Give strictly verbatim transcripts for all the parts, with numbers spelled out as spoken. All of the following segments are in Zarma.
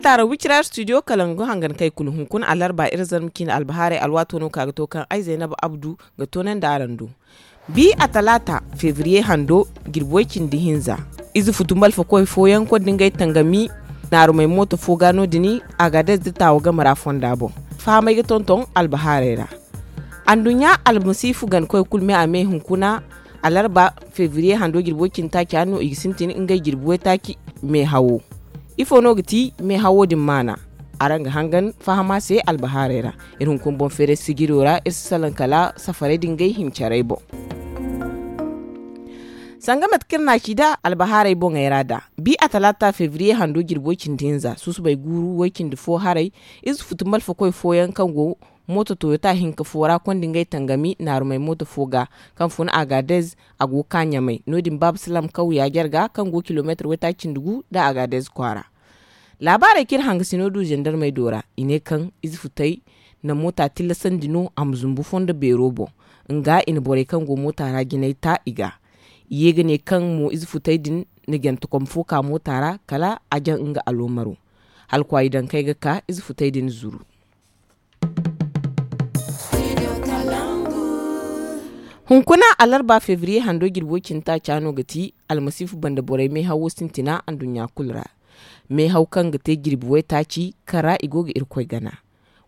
Taara wicira studio kala ngu hangan kay kulu hunkuna alarba iri zarma ciine albahaarey alwaato no ka ga to kaŋ ay zaynaba abdu ga toonandi araŋ do. Bi a talaata febriye hando jirbi way cindi hinza, ize futu malfakoy fooyaŋ konda ngey tangami naarumey mooto fo ga no- din, agaadez da taawa game ra fonda boŋ. Fahamey ga tonton albahaarey ra. Anduɲɲa almasiifu gankoy kulu me a me hunkuna alarba febriye hando jirbi way cindi taaci a no i ga sintin ngey jirbi waytaaci. Meehawo ifo no ga ti meehawo din maana? Araŋ ga hangan fahama se albahaarey ra. Iri hunkuna boŋ feeray sijiro ra iri si salaŋ kala safarey din gay hincarey boŋ. Sanga mate kaŋ iri na a ci nd'a albahaarey boŋey ra nd'a, bi a talaata febriye hando jirbi way cindi hinza susubay guuru way cindi fo haray, ize futu malfakoy fooyaŋ kaŋ go mooto toyota hinka fo ra konda ngey tangami naarumey mooto fo ga, kaŋ fun agaadez a go ga ka ɲamay no- din baaba salaam kaw yaajar ga kaŋ go kilomeetir waytaaci cindi gu nda agaadez kwaara. Laabaarey kaŋ iri hangasino du zandarmey do ra i ne kaŋ ize futey na moota tillasandi no a ma zumbu fondo beero boŋ. Nga i na borey kaŋ go moota ra jinay ta i ga. I ye ga ne kaŋ mo ize futey din na jantakom fo ka moota ra kala a jaŋ nga aloomaro. Hala kwaayi dankey ga ka ize futey din zuru. Hunkuna alarba febriye hando jirbi way cindi taaca no ga ti almasiifu banda borey meehawo sintina anduɲɲa kulu ra. Meehaw kaŋ ga te jirbi waytaaci kaŋ ra i go ga irkoy gana.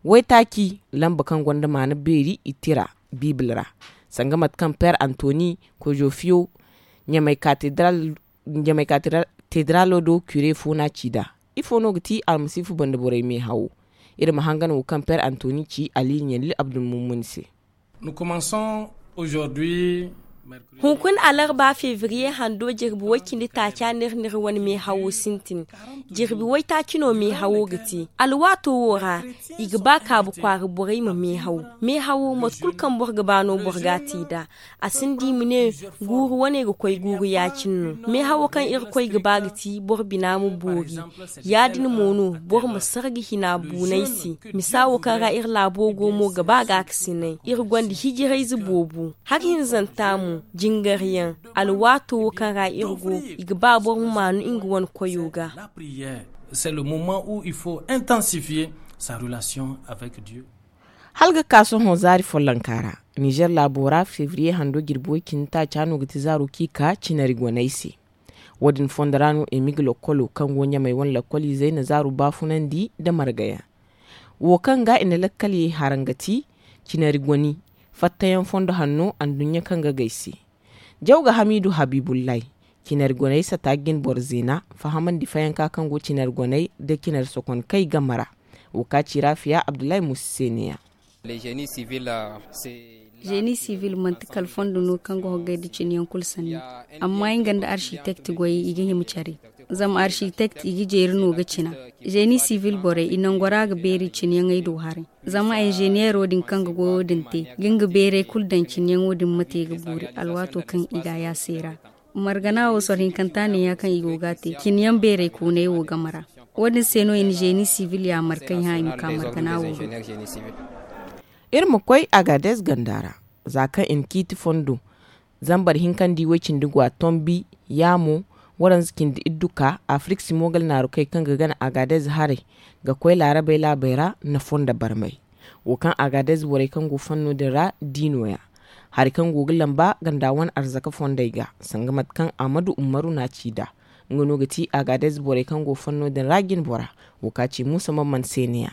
Waytaaci lamba kaŋ gonda maana beeri i tira biibil ra, sanga mate kaŋ peer antoni kozofiyo ɲamay katedralo do kire fo no a ci nd'a. Ifo no ga ti almasiifu banda borey meehawo? Iri ma hangan wo kaŋ peer antoni ci ali ɲalil abdulmumuni se. Hunkuna alarba febriye hando jirbi way cindi taaca no iri na iri wane meehawo sintin. Jirbi waytaaci no meehawo ga te alwaato wo ra. I ga ba kaabu kwaara borey ma meehaw. Meehawo mate kulu kaŋ boro ga ba no boro ga a te nd'a. A sinda i ma ne guuru wane ga koy guuru ya-cine no. Meehawo kaŋ irkoy ga ba ga ti boro bina ma boori. Ya-din mo no boro ma sarga hina buunay se. Misa wo kaŋ ra iri laabo go mo ga ba gaakasinay iri gonda hijirayze boobo. Hari hinzanta mo jingaryaŋ. Alwaato wo kaŋ ra iri go i ga ba boro ma maanu nga wane koyo ga. C'est le moment où il faut intensifier sa relation avec Dieu. Hala ga ka sohõ zaari follonka ra, nizer laabo ra febriye hando jirbi way cindi taaca no ga ti zaaro kaŋ i ka cinari goney se. Wo- din fondo ra no emig lokkolo kaŋ go ɲamay wane lokkoliizey na zaaro baafunandi nda margayaŋ. Wo kaŋ ga i na lakkaley haran ga ti cinari goni fattayaŋ fondo hanno anduɲɲa kaŋ ga gay se. Jaw ga hamiidu habiibullahi cinari goney sata ga jin boro zeena fahamandi fayanka kaŋ go cinari goney nda cinari sokonkey game ra. Wo ka ci raafiya abdullahi muusa se ne-ya. Zeeni sibil manti kala fondo no kaŋ ga hoggay nda cine yaŋ kulu sanni. Amma nga nda arsitekt goyey i ga hima care. Zama arsitekt i ga jeeri no ga cina. Zeeni sibil borey i nango ra ga beeri cine yaŋey do haray. Zama inzeneero din kaŋ ga goyo din te ga nga beeray kulu daŋ cine yaŋo din ma te ga boori alwaato kaŋ i ga a yaasay ra. Margana wo soro hinkanta ne ya kaŋ i go ga a te cine yaŋ beeray koonay wo game ra. Wo- din se no i na zeeni sibil yaamar kaŋ i hã i ma ka margana wo do. Iri ma koy agaades ganda ra, za kaŋ i na ciiti fondo zambar hinkandi way-cindi go a tombi. Yaamo waranza cindi iddu ka afirik simo gala naarukey kaŋ ga gana agaades haray ga koy laarabey laabey ra na fondo barmay. Wo kaŋ agaades borey kaŋ go fanno din ra di no- ya. Hari kaŋ go ga lamba ganda wane arzaka fondey ga sanga mate kaŋ amadu ummaru na a ci nd'a. Nga no ga ti agaades borey kaŋ go fanno din ra jine bora. Wo ka ci muusa mamman se ne- ya.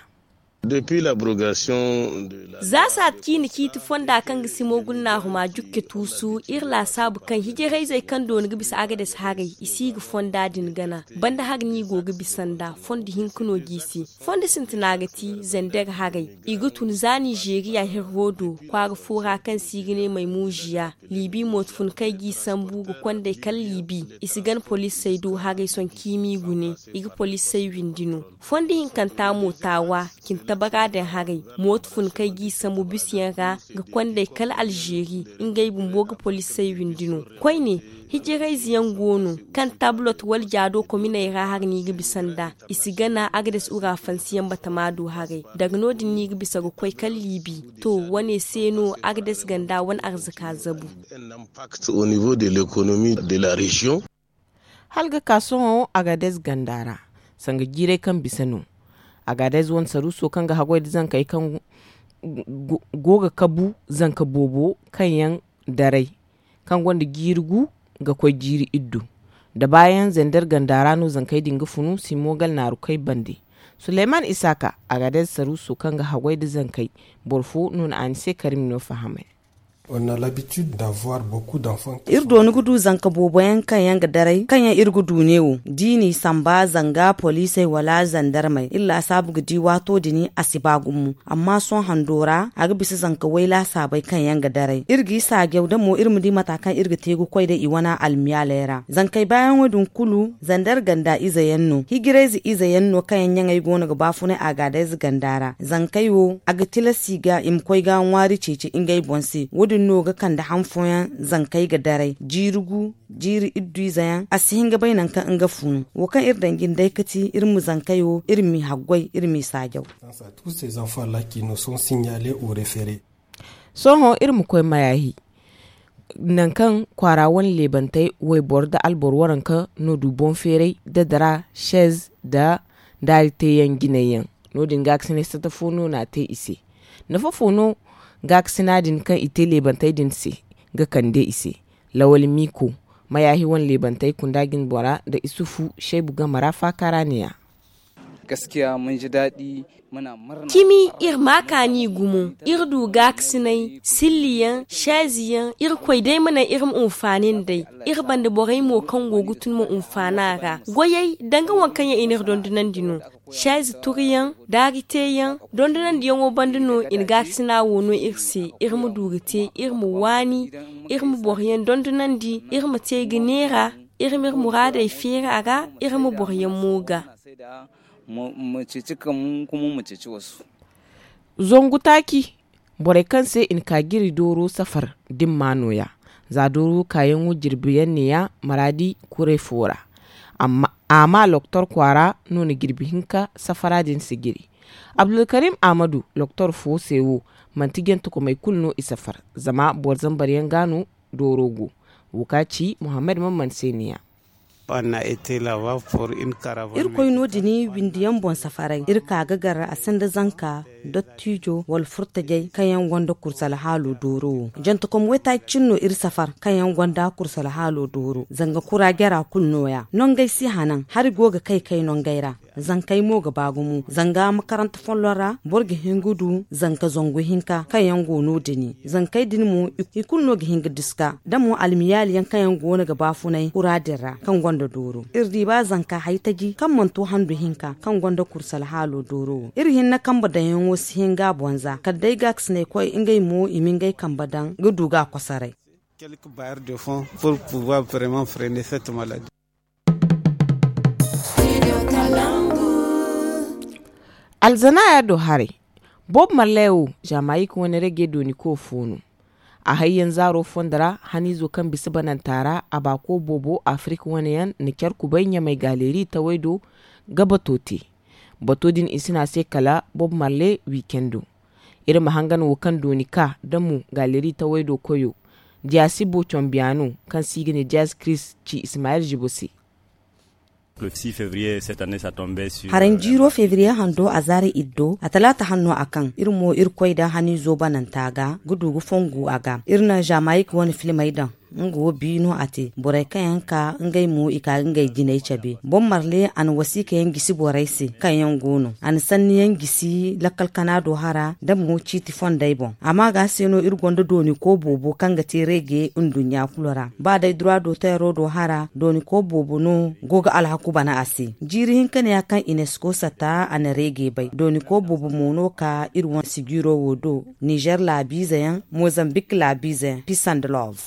Za saati ciine ciiti fonda kaŋ ga simo gulnaahuma jukke tuusu iri laasaabu kaŋ hijirayzey kaŋ dooni ga bisa agades haray i si ga fonda din gana. Banda hari no i go ga bisa nd'a fondo hinka no g'i se. Fondo sintina ga ti zender haray. I ga tun za nizeeriya hirro do kwaara fo ra kaŋ se i ga ne maymuuziya. Liibi mooto fun kaŋ ay g'i sambu ga kond'ey kala liibi. I si gana poliisey do haray sohõ ciimi gune. I ga poliisey windi no. Fondo hinkanta mo taawa cintabara din haray. Mooto fun kaŋ ay g'i sambu bisiyaŋ ra ga kond'ey kala alzeeri. Ngey bumbo ga poliisey windi no. Koyne hijirayze yaŋ go no kaŋ tablot wala jaado kominey ra hari no i ga bisa nd'a. I si gana agades urafansiyaŋ batama do haray. Daga no- din no i ga bisa ga koy kala liibi. To, wane se no agades ganda wane arzaka zabu. Hala ga ka sohõ agades ganda ra. Sanga jiiray kaŋ bisa no. Agaadayze wane saruuso kaŋ ga haggoy nda zankey kaŋ go ga kabu zanka boobo kaŋ yaŋ daray, kaŋ gonda jiiri gu ga koy jiiri iddu nda baayaŋ zender ganda ra no zankey din ga funu simo gal naarukey bande. Suleyman isaaka, agaadayze saruuso kaŋ ga haggoy nda zankey, boro fo no na a ni se karim no fahamay. Iri dooni ga du zanka boobo yaŋ kaŋ yaŋ ga daray kaŋ yaŋ iri ga du neewo da i n'i samba zanga poliisey wala zandarmey iri laasaabu ga di waato din a si ba gumo. Amma sohõ hando ra a ga bisa zanka way laasaabey kaŋ yaŋ ga daray iri g'i saajaw da mo iri ma di mata kaŋ iri ga te ga koy day i wane almiyaaley ra zankey baayaŋo din kulu zandar ganda ize yaŋ no hijirayze ize yaŋ no kaŋ yaŋ ɲaŋey go no ga baafunay agaadayze ganda ra zankey wo a ga tilas i ga i ma koy ga ŋwaari ceeci ngey boŋ se wo- din no ga kande han fooyaŋ zankey ga daray jiiri gu jiiri iddu ize yaŋ a si hin ga bay nangu kaŋ nga funu wo kaŋ iri daŋ jinday ga ti iri ma zankey wo iri m'i haggoy iri m'i saajaw. Sohõ iri ma koy mayaahi nangu kaŋ kwaara wane leebantey wayboro nda alboro waranka no du boŋ feeray nda dara seez nda daari teeyaŋ jinay yaŋ. No- din gaakasinay sata fo no n'a te i se. Nafa fo no gaakasina din kaŋ i te leebantey din se ga kande i se? Lawal miiko mayaahi wane leebantey kunda jinbora nda isufu seebu game ra faaka ra ne- ya. Cimi iri ma a kaani gumo. Iri du gaakasinay silliyaŋ seeziyaŋ irkoy day ma naŋ iri ma hunfaani nd'ey. Iri banda borey mo kaŋ go ga tun ma hunfaani a ra goyey danga waŋ kaŋ yaŋ i n'iri dondonandi no. Seezi turiyaŋ daari teeyaŋ dondonandiyaŋo banda no i na gaakasina wo no iri se. Iri ma du ga te iri ma waani iri ma boroyaŋ dondonandi iri ma te ga neera iri ma iri muraadey feeri a ra iri ma boroyaŋ mo ga. Zangu taaci borey kaŋ se i na ka jiri dooro safar da ni ma nooya. Za dooro kaayaŋo jirbi yaŋ ne- ya maraadi kuray fo ra. A ma loktor kwaara no na jirbi hinka safara din si jiri. Abdulkarim ahmadu loktor fo se wo manti jantakomey kulu no i safar zama boro zambar yaŋ ga no dooro go. Wo ka ci muhammad man man se ne- ya. Iri koy no- din windi yaŋ boŋ safaray iri ka ga gar a sinda zanka dottijo wala furtajey kaŋ yaŋ gonda kursu alhaalo dooro wo. Jantakom waytaaci cine no iri safar kaŋ yaŋ gonda kursu alhaalo dooro zanga kura jara kulu no- ya nongey si hanan hari go ga kay kay nongey ra. Zankey mo ga ba gumo zanga makaranta folloŋ ra boro ga hin ga du zanka zangu hinka kaŋ yaŋ go no- din zankey din mo i kulu no ga hin ga diska da mo almiyaali yaŋ kaŋ yaŋ go no ga baafunay kura din ra kaŋ gonda dooro iri di ba zanka haytaji kaŋ mana to handu hinka kaŋ gonda kursu alhaalo dooro wo iri hinne kambe daŋyaŋo si hin ga a boŋ za kala day gaakasinay koy ngey mo i ma ngey kambe daŋ ga du ga a kosoray. Alzanaaya do haray. Bob marley wo jamayik wane rege dooni ko fo no. A hayyaŋ zaaro fondo ra haniizo kaŋ bisa bananta ra a baako boobo afirik wane yaŋ na care kubay ɲamay galeeri taway do ga bato te. Bato din i si ne a se kala bob marley wiikendo. Iri ma hangan wo kaŋ dooni ka da mo galeeri taway do koyo diya si bo combiya no kaŋ se i ga ne jazz chris ci ismayil zibo se. Haranjiiro febriye hando a zaara iddo a talaata hanno a kaŋ iri mo irkoy da haniizo bananta ga ga du ga fongu a ga iri na jamayik wane filmey daŋ. Nga wo bi no a te borey kaŋ yaŋ ka ngey mo i ka ga ngey jinay cabe boŋ marle a na wasiika yaŋ gisi borey se kaŋ yaŋ go no a na sanni yaŋ gisi lakkal kana do hara da mo ciiti fondey boŋ. Amma ga se no iri gonda dooni ko boobo kaŋ ga te reege nduɲɲa kulu ra ba day dura do tayro do hara dooni ko boobo no go ga alhaku bana a se. Jiiri hinka ne ya kaŋ inesko sata a na reege bay dooni ko boobo mo no ka iri wane sijiiro wo do nizer laabiize yaŋ mozambik laabiize yaŋ peace and love.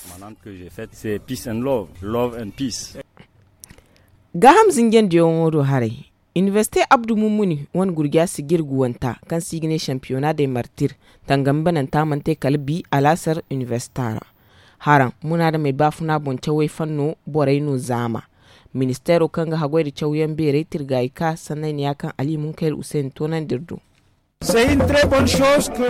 Gaaham zinjandiyaŋo do haray. Inibersite abdu mummuni wane gurja sijir guwanta kaŋ se i ga ne sampiyona day martir tangami bananta mana te kala bi alaasar inibersita ra. Haraŋ munaadamey baafuna boŋ cawey fanno borey no zaama. Ministeero kaŋ ga haggoy nda cawyaŋ beerey tirgaayi ka sanney ne ya kaŋ ali munkayel useeni toonandi iri do. C'est une très bonne chose que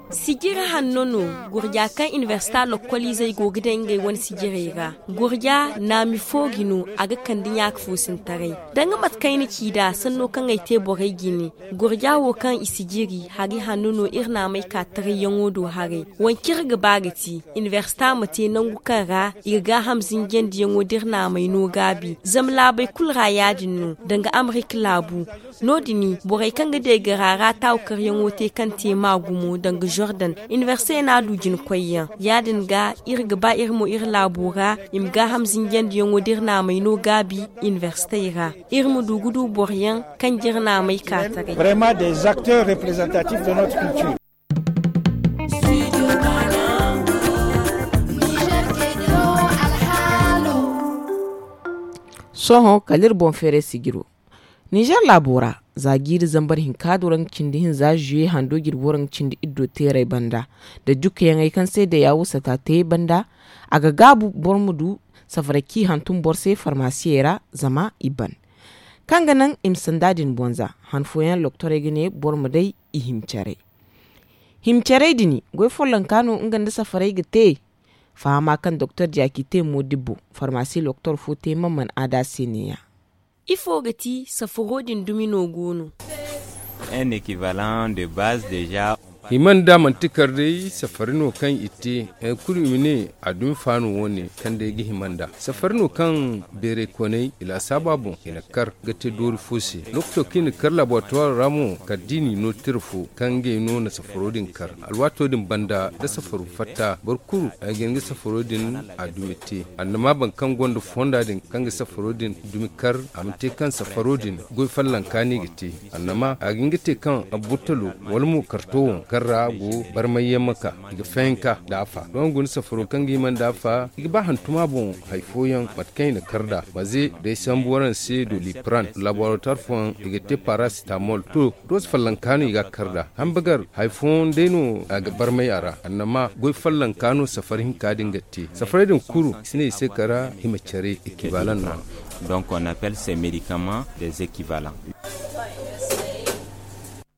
Sijiri hanno no. Gurja kaŋ inibersita lokkoliizey go ga daŋ ngey wane sijirey ra. Gurja naami fo ga no a ga kande ɲaaka foosintaray. Danga mate kaŋ ay na ci nd'a sanno kaŋ ay te borey jine. Gurja wo kaŋ i sijiri hari hanno no iri naamey ka tarayyaŋo do haray. Waŋ kaŋ iri ga ba ga ti inibersita ma te nangu kaŋ ra i ga gaaham zinjandiyaŋo da iri naamey no gaabi zama laabey kulu ra ya-din no. Danga amerika laabu no- din borey kaŋ ga deegara ra taawu karyaŋo te kaŋ te ma gumo danga jordan. Inibersitey no a du jina koyyaŋ ya-din ga iri ga ba iri mo iri laabo ra i ma gaaham zinjandiyaŋo da iri naamey no gaabi. Inibersitey ra iri ma du ga du boroyaŋ kaŋ jire naamey ka taray. Sohõ kala iri boŋ feeray sijiro. Ninzeer laabo ra za jiiri zambar hinka do ra nga cindi hinza zuye hando jirbo ra nga cindi iddo teeray banda nda jukkayaŋey kaŋ se day a wo sata te banda. A ga gaabu boro ma du safaray kaŋ i hantum boro se farmasiyey ra zama i ban kaŋ ga naŋ i ma sanda din boŋ za. Han fooyaŋ doktorey ga ne boro ma day i hima care. Hima carey din goy follonka no nga nda safarey ga te. Fahama kaŋ doktor jaaki te moodibbo farmasi doktor fo te man man aada se ne- ya. Ifo ga ti safaro din dumi no go no? Hima nda manti kar day safari no kaŋ i te. Hari kulu i ma ne a dumi faano wo- ne kaŋ day ga hima nda safari no kaŋ beeray koney i laasaaba boŋ i na kar ga te doori fo se. Lokaco kaŋ i na kar laboratuwaaro ra mo kala da i n'i no tira fo kaŋ ngey no na safaro din kar. Alwaato din banda da safaro fatta boro kulu ay ga hin ga safaro din a dumi te. Annama boro kaŋ gonda fonda din kaŋ ga safaro din dumi kar a ma te kaŋ safaro din goy follonka no i ga te. Annama a ga hin ga te kaŋ abbutalo wala mo karto wo kaŋ ra go barmay yaŋ ma ka i ga fayanka da afa doŋ guna safaro kaŋ ga hima nda afa i ga ba hantuma boŋ. Hari fooyaŋ mate kaŋ i na kar nd'a maze day sambu waraŋ se do lipiran laboratoir fooyaŋ i ga te parasitamol to. Doose follonka no i ga a kar nd'a hambagar hari fooyaŋ day no a ga barmay a ra annama goy follonka no safari hinka din ga te safaray din kulu i si ne i se kara hima care ekibalan no. Donc on appelle ces médicaments des équivalents.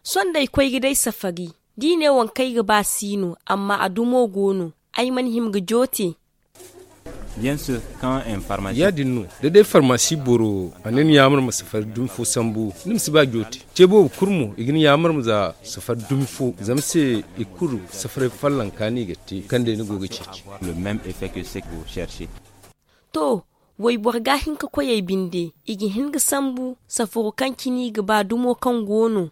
Sohõ da ay koy ga day safari da i ne waŋ kaŋ ay ga ba si no amma a dumo go no. Ay mana hima ga joote. Ya- din no da day farmasi boro a ne ni yaamar ma safari dumi fo sambu ni ma si ba joote. Ce boobo kulu mo i ga ni yaamar ma za safari dumi fo zama se i kulu safaray follonka no i ga te kaŋ day ni go ga ceeci. To, wayboro ga hin ka koy ay binde i ga hin ga sambu safaro kaŋ cine i ga ba dumo kaŋ go no.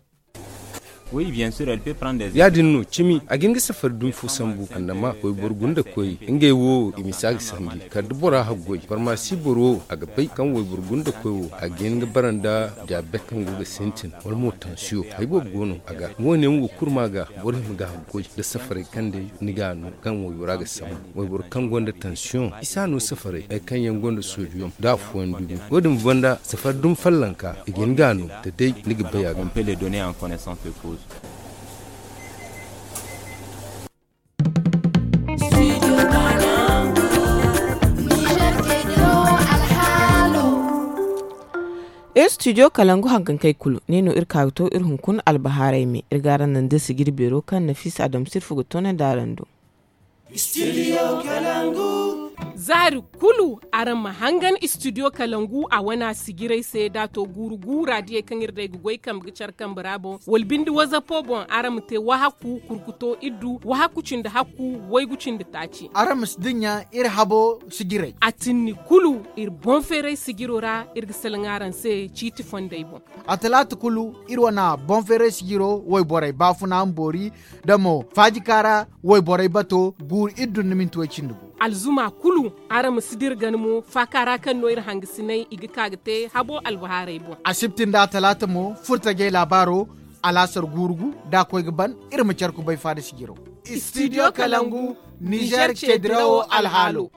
Ya- din no cimi a ga hin ga safari dumi fo sambu annama wayboro gunda koy ngey wo i ma si a ga sandi kala da bora haggoy farmasi boro wo a ga bay kaŋ wayboro gunda koy wo a ga hin ga bara nda diyabet kaŋ go ga sintin wala mo tansiyo hari boobo go no a ga. Wo- ne wo kulu ma ga boro hima ga haggoy da safaray kaŋ day ni ga a no kaŋ waybora ga sambu wayboro kaŋ gonda tansiyoŋ i si a no safaray hari kaŋ yaŋ gonda sodiyom da afooyaŋ dumi. Wo- din banda safari dumi follonka i ga hin ga a no da day ni ga bay a ga. Iri studio kalangu hankankey kulu ne no iri ka ga to iri hunkuna albahaarey me iri ga araŋ naŋ da sijiri beero kaŋ nafisa adamsirfu ga toonandi araŋ do. Zaari kulu araŋ ma hangan studio kalangu a wana sijirey se da a to guuru guura diyey kaŋ iri day ga goy kambe ga care kambe ra boŋ wala binde wazapo boŋ araŋ ma te wahakku kurkuto iddu wahakku cindi hakku waygu cindi taaci. Araŋ ma si dinya iri habo sijirey a tinni kulu iri boŋ feeray sijiro ra iri ga salaŋ araŋ se ciiti fondey boŋ. A talaata kulu iri wana boŋ feeray sijiro wayborey baafuna ma boori da mo faajika ra wayborey bato guuru iri dun ni minti way cindi gu. Alzuma kulu araŋ ma si dira gana mo faaka ra kaŋ no iri hangasiney i ga ka ga te habo albahaarey boŋ. Asibti nda talaata mo furtajey laabaaro alaasar guuru gu da a koy ga ban iri ma care kubay faada sijiro. Studio kalangu nizer cedirawo alhaalo.